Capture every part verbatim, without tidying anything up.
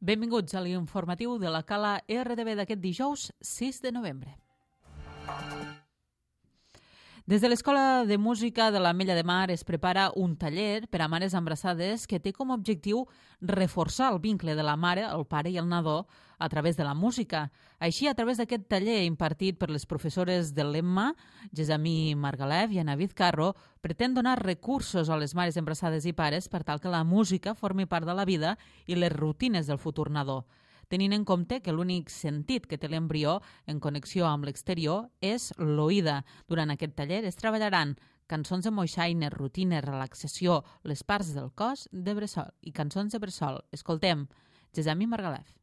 Benvinguts a l'informatiu de la Cala R D B d'aquest dijous sis de novembre. Des de l'Escola de Música de l'Ametlla de Mar es prepara un taller per a mares embarassades que té com a objectiu reforçar el vincle de la mare, el pare i el nadó a través de la música. Així, a través d'aquest taller impartit per les professores de l'Emma, Gesamí Margalef i Ana Vizcarro, pretén donar recursos a les mares embarassades i pares per tal que la música formi part de la vida i les rutines del futur nadó, tenint en compte que l'únic sentit que té l'embrió en connexió amb l'exterior és l'oïda. Durant aquest taller es treballaran cançons de moixaina, rutines, relaxació, les parts del cos de bressol i cançons de bressol. Escoltem, Gesamí Margalef.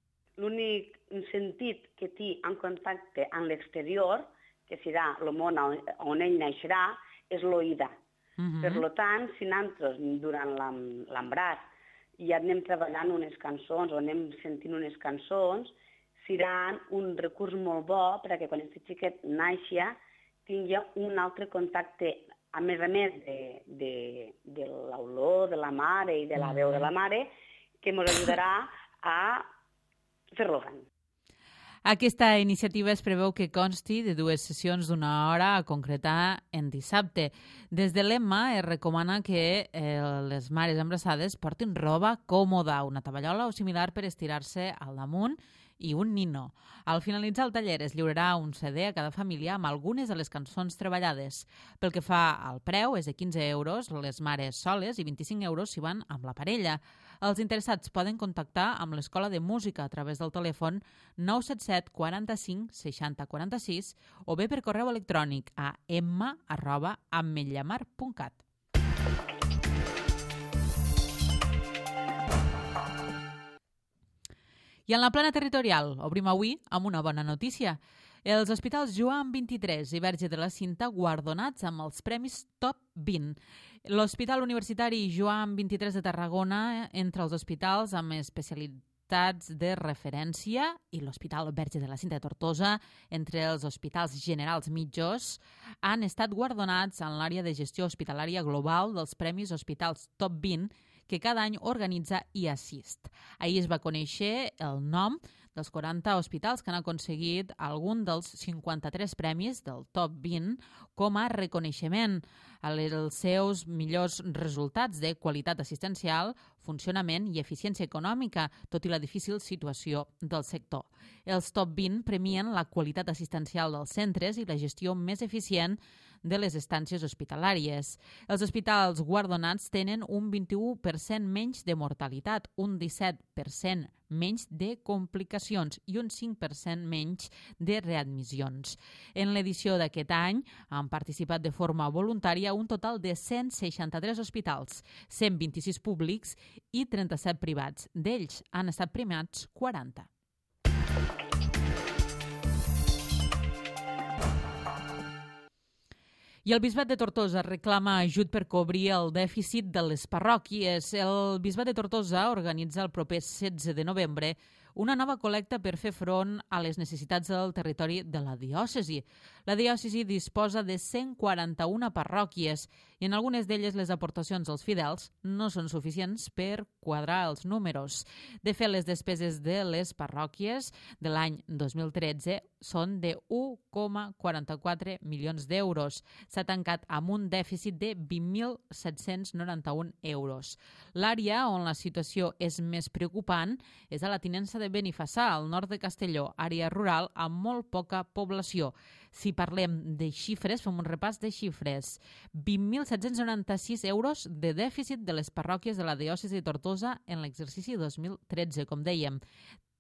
L'únic sentit que té en contacte amb l'exterior, que serà el món on ell naixerà, és l'oïda. Uh-huh. Per tant, si nosaltres durant l'embràs i ja anem treballant unes cançons o anem sentint unes cançons, seran un recurs molt bo perquè quan aquest xiquet naixia tingui un altre contacte, a més a més de, de, de l'olor de la mare i de la veu de la mare, que ens ajudarà a fer-lo gran. Aquesta iniciativa es preveu que consti de dues sessions d'una hora a concretar en dissabte. Des de l'Emma es recomana que eh, les mares embarassades portin roba còmoda, una tovallola o similar per estirar-se al damunt i un nino. Al finalitzar el taller es lliurarà un C D a cada família amb algunes de les cançons treballades. Pel que fa al preu, és de quinze euros les mares soles i vint-i-cinc euros si van amb la parella. Els interessats poden contactar amb l'Escola de Música a través del telèfon nou set set quaranta-cinc seixanta quaranta-sis o bé per correu electrònic a emma arroba ametllamar punt cat. I en la plana territorial obrim avui amb una bona notícia. Els hospitals Joan vint-i-tres i Verge de la Cinta guardonats amb els premis Top vint. L'Hospital Universitari Joan vint-i-tres de Tarragona, entre els hospitals amb especialitats de referència, i l'Hospital Verge de la Cinta de Tortosa, entre els hospitals generals mitjors, han estat guardonats en l'àrea de gestió hospitalària global dels Premis Hospitals Top vint, que cada any organitza I Assist. Ahir es va conèixer el nom dels quaranta hospitals que han aconseguit algun dels cinquanta-tres premis del Top vint com a reconeixement als seus millors resultats de qualitat assistencial, funcionament i eficiència econòmica, tot i la difícil situació del sector. Els Top vint premien la qualitat assistencial dels centres i la gestió més eficient de les estàncies hospitalàries. Els hospitals guardonats tenen un vint-i-u per cent menys de mortalitat, un disset per cent menys de complicacions i un cinc per cent menys de readmissions. En l'edició d'aquest any han participat de forma voluntària un total de cent seixanta-tres hospitals, cent vint-i-sis públics i trenta-set privats. D'ells han estat premiats quaranta. I el Bisbat de Tortosa reclama ajut per cobrir el dèficit de les parròquies. El Bisbat de Tortosa organitza el proper setze de novembre una nova col·lecta per fer front a les necessitats del territori de la diòcesi. La diòcesi disposa de cent quaranta-una parròquies i en algunes d'elles les aportacions dels fidels no són suficients per quadrar els números. De fet, les despeses de les parròquies de l'any dos mil tretze són de un coma quaranta-quatre milions d'euros. S'ha tancat amb un dèficit de vint mil set-cents noranta-un euros. L'àrea on la situació és més preocupant és a la tinença de Benifassà, al nord de Castelló, àrea rural amb molt poca població. Si parlem de xifres, fem un repàs de xifres. vint mil set-cents noranta-sis euros de dèficit de les parròquies de la diòcesi de Tortosa en l'exercici dos mil tretze, com dèiem.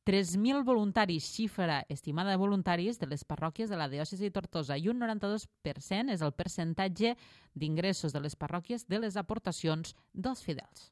tres mil voluntaris, xifra estimada de voluntaris de les parròquies de la diòcesi de Tortosa, i un noranta-dos per cent és el percentatge d'ingressos de les parròquies de les aportacions dels fidels.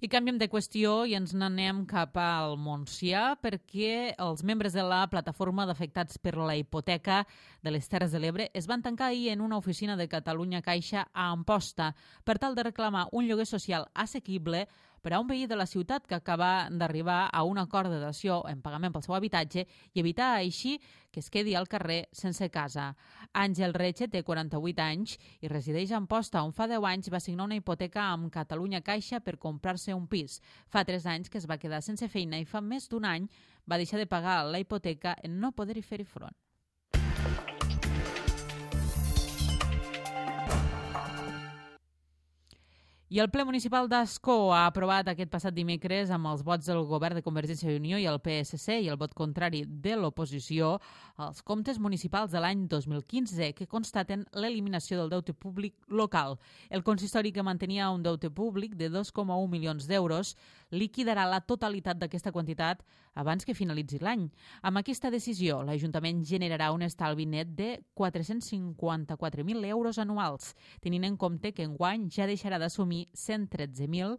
I canviem de qüestió i ens n'anem cap al Montsià perquè els membres de la plataforma d'afectats per la hipoteca de les Terres de l'Ebre es van tancar ahir en una oficina de Catalunya Caixa a Amposta per tal de reclamar un lloguer social assequible per a un veí de la ciutat que acaba d'arribar a un acord de dació en pagament pel seu habitatge i evitar així que es quedi al carrer sense casa. Àngel Reche té quaranta-vuit anys i resideix a Amposta, on fa deu anys va signar una hipoteca amb Catalunya Caixa per comprar-se un pis. Fa tres anys que es va quedar sense feina i fa més d'un any va deixar de pagar la hipoteca en no poder-hi fer-hi front. I el ple municipal d'Ascó ha aprovat aquest passat dimecres amb els vots del govern de Convergència i Unió i el P S C i el vot contrari de l'oposició els comptes municipals de l'any dos mil quinze que constaten l'eliminació del deute públic local. El consistori, que mantenia un deute públic de dos coma un milions d'euros, liquidarà la totalitat d'aquesta quantitat abans que finalitzi l'any. Amb aquesta decisió, l'Ajuntament generarà un estalvi net de quatre-cents cinquanta-quatre mil euros anuals, tenint en compte que enguany ja deixarà d'assumir cent tretze mil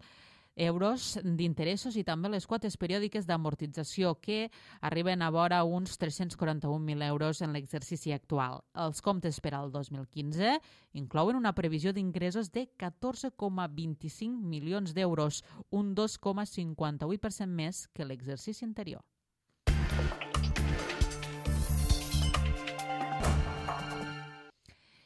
euros d'interessos i també les quotes periòdiques d'amortització, que arriben a vora uns tres-cents quaranta-un mil euros en l'exercici actual. Els comptes per al dos mil quinze inclouen una previsió d'ingressos de catorze coma vint-i-cinc milions d'euros, un dos coma cinquanta-vuit per cent més que l'exercici anterior.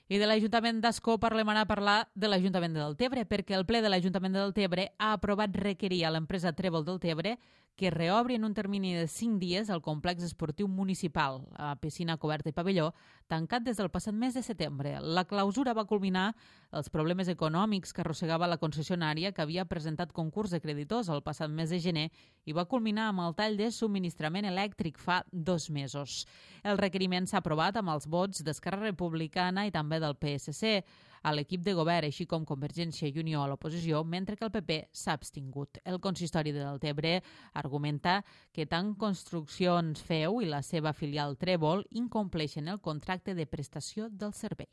I de l'Ajuntament d'Ascó parlem ara a parlar de l'Ajuntament de Deltebre, perquè el ple de l'Ajuntament de Deltebre ha aprovat requerir a l'empresa Trèvol Deltebre que reobri en un termini de cinc dies el complex esportiu municipal, a piscina coberta i pavelló, tancat des del passat mes de setembre. La clausura va culminar els problemes econòmics que arrossegava la concessionària, que havia presentat concurs de creditors el passat mes de gener i va culminar amb el tall de subministrament elèctric fa dos mesos. El requeriment s'ha aprovat amb els vots d'Esquerra Republicana i també del P S C a l'equip de govern, així com Convergència i Unió a l'oposició, mentre que el P P s'ha abstingut. El consistori de Deltebre argumenta que tant Construccions Feu i la seva filial Trèvol incompleixen el contracte de prestació del servei.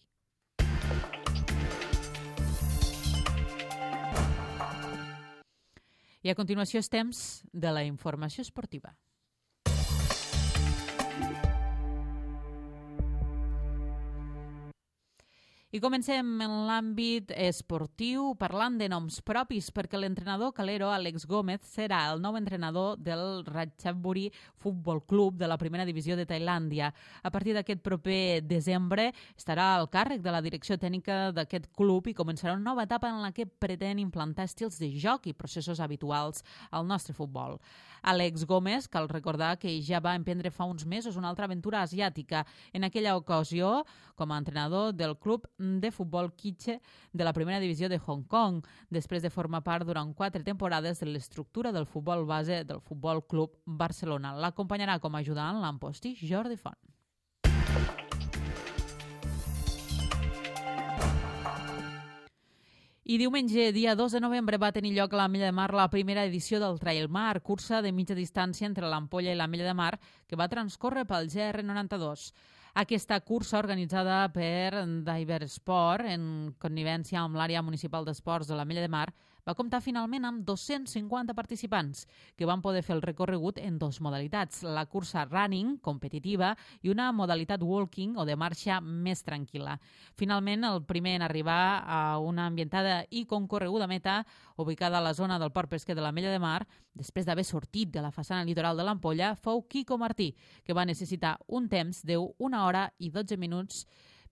I a continuació és temps de la informació esportiva. I comencem en l'àmbit esportiu parlant de noms propis, perquè l'entrenador calero Àlex Gómez serà el nou entrenador del Ratchaburi Futbol Club de la primera divisió de Tailàndia. A partir d'aquest proper desembre estarà al càrrec de la direcció tècnica d'aquest club i començarà una nova etapa en la que pretén implantar estils de joc i processos habituals al nostre futbol. Àlex Gómez, cal recordar que ja va emprendre fa uns mesos una altra aventura asiàtica, en aquella ocasió com a entrenador del club de futbol Kitche de la primera divisió de Hong Kong, després de formar part durant quatre temporades de l'estructura del futbol base del Futbol Club Barcelona. L'acompanyarà com a ajudant l'empostí Jordi Font. I diumenge, dia dos de novembre, va tenir lloc a l'Ametlla de Mar la primera edició del Trail Mar, cursa de mitja distància entre l'Ampolla i l'Ametlla de Mar, que va transcórrer pel G R noranta-dos. Aquesta cursa, organitzada per Diver Sport, en connivència amb l'àrea municipal d'esports de l'Ametlla de Mar, va comptar finalment amb dos-cents cinquanta participants que van poder fer el recorregut en dues modalitats, la cursa running, competitiva, i una modalitat walking o de marxa més tranquil·la. Finalment, el primer en arribar a una ambientada i concorreguda meta, ubicada a la zona del port pesquer de l'Ametlla de Mar, després d'haver sortit de la façana litoral de l'Ampolla, fou Quico Martí, que va necessitar un temps d'una hora i dotze minuts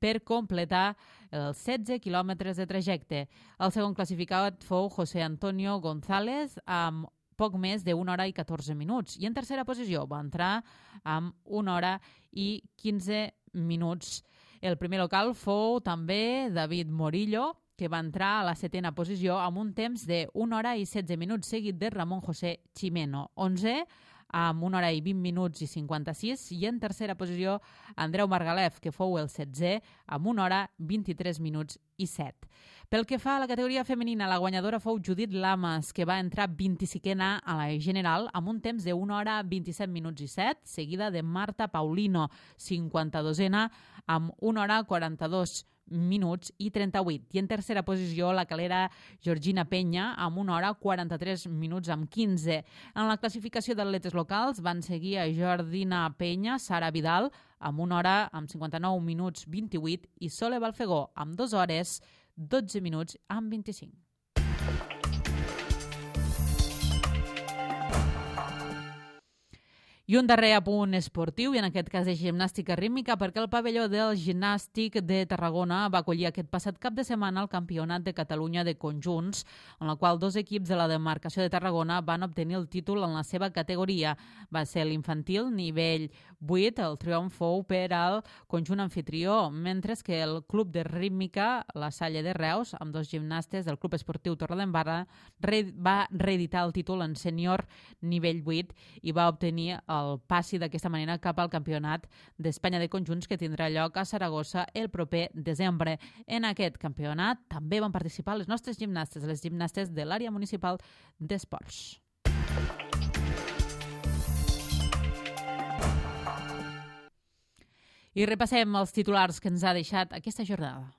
per completar els setze quilòmetres de trajecte. El segon classificat fou José Antonio González amb poc més d'una hora i catorze minuts. I en tercera posició va entrar amb una hora i quinze minuts. El primer local fou també David Morillo, que va entrar a la setena posició amb un temps d'una hora i setze minuts, seguit de Ramon José Chimeno. Onze amb una hora i vint minuts i cinquanta-sis, i en tercera posició Andreu Margalef, que fou el setzè, amb una hora, vint-i-tres minuts i set. Pel que fa a la categoria femenina, la guanyadora fou Judit Lamas, que va entrar vint-i-cinquena a la general amb un temps d'una hora, vint-i-set minuts i set, seguida de Marta Paulino, cinquanta-dosena, amb una hora, quaranta-dos minuts i trenta-vuit. I en tercera posició la calera Georgina Penya amb una hora, quaranta-tres minuts amb quinze. En la classificació d'atletes locals van seguir a Jordina Penya, Sara Vidal amb una hora, amb cinquanta-nou minuts vint-i-vuit, i Sole Balfegó amb dues hores, dotze minuts amb vint-i-cinc. I un darrer apunt esportiu, i en aquest cas de gimnàstica rítmica, perquè el pavelló del Gimnàstic de Tarragona va acollir aquest passat cap de setmana el Campionat de Catalunya de Conjunts, en el qual dos equips de la demarcació de Tarragona van obtenir el títol en la seva categoria. Va ser l'infantil, nivell vuit, el triomf fou per al conjunt anfitrió, mentre que el club de rítmica, la Salle de Reus, amb dos gimnastes del Club Esportiu Torredembarra, va reeditar el títol en sènior nivell vuit i va obtenir el passi d'aquesta manera cap al Campionat d'Espanya de Conjunts que tindrà lloc a Saragossa el proper desembre. En aquest campionat també van participar les nostres gimnastes, les gimnastes de l'àrea municipal d'esports. I repassem els titulars que ens ha deixat aquesta jornada.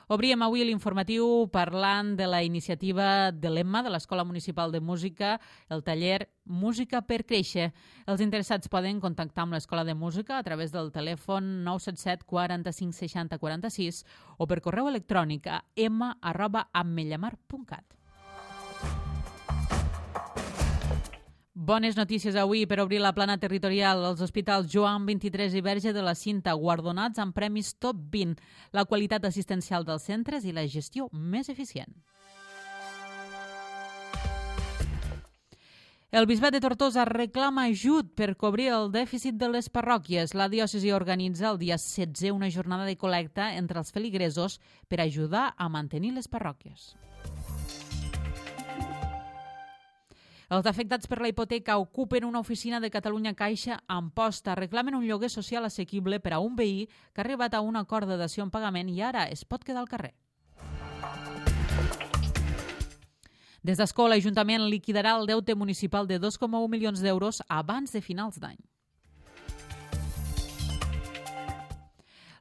Obríem avui l'informatiu parlant de la iniciativa de l'Emma, de l'Escola Municipal de Música, el taller Música per Créixer. Els interessats poden contactar amb l'Escola de Música a través del telèfon nou set set quaranta-cinc seixanta quaranta-sis o per correu electrònic a emma arroba ametlllamar punt cat. Bones notícies avui per obrir la plana territorial. Els hospitals Joan vint-i-tres i Verge de la Cinta guardonats amb premis top vint, la qualitat assistencial dels centres i la gestió més eficient. El Bisbat de Tortosa reclama ajut per cobrir el dèficit de les parròquies. La diòcesi organitza el dia setze una jornada de col·lecta entre els feligresos per ajudar a mantenir les parròquies. Els afectats per la hipoteca ocupen una oficina de Catalunya Caixa a Amposta. Reclamen un lloguer social assequible per a un veí que ha arribat a un acord de dació en pagament i ara es pot quedar al carrer. Des d'Escó, l'Ajuntament liquidarà el deute municipal de dos coma u milions d'euros abans de finals d'any.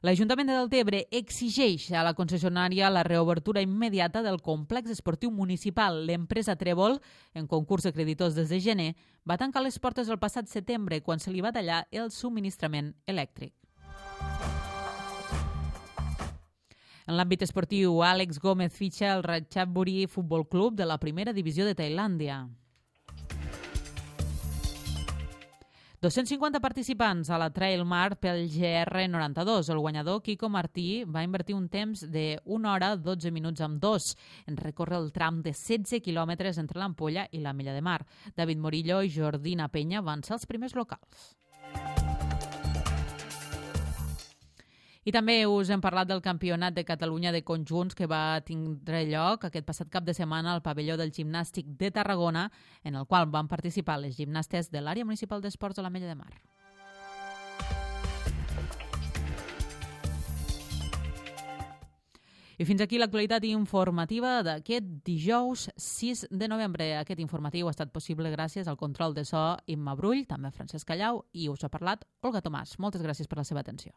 L'Ajuntament de Deltebre exigeix a la concessionària la reobertura immediata del complex esportiu municipal. L'empresa Trèvol, en concurs de creditors des de gener, va tancar les portes el passat setembre quan se li va tallar el subministrament elèctric. En l'àmbit esportiu, Àlex Gómez fitxa el Ratchaburi Futbol Club de la primera divisió de Tailàndia. dos-cents cinquanta participants a la Trail Mar pel G R noranta-dos. El guanyador, Quico Martí, va invertir un temps de una hora, dotze minuts amb dos en recórrer el tram de setze quilòmetres entre l'Ampolla i la Milla de Mar. David Morillo i Jordina Penya van ser els primers locals. I també us hem parlat del Campionat de Catalunya de Conjunts que va tindre lloc aquest passat cap de setmana al pavelló del Gimnàstic de Tarragona, en el qual van participar les gimnastes de l'àrea municipal d'esports de la Mella de Mar. I fins aquí l'actualitat informativa d'aquest dijous sis de novembre. Aquest informatiu ha estat possible gràcies al control de so Imma Brull, també Francesc Callau, i us ha parlat Olga Tomàs. Moltes gràcies per la seva atenció.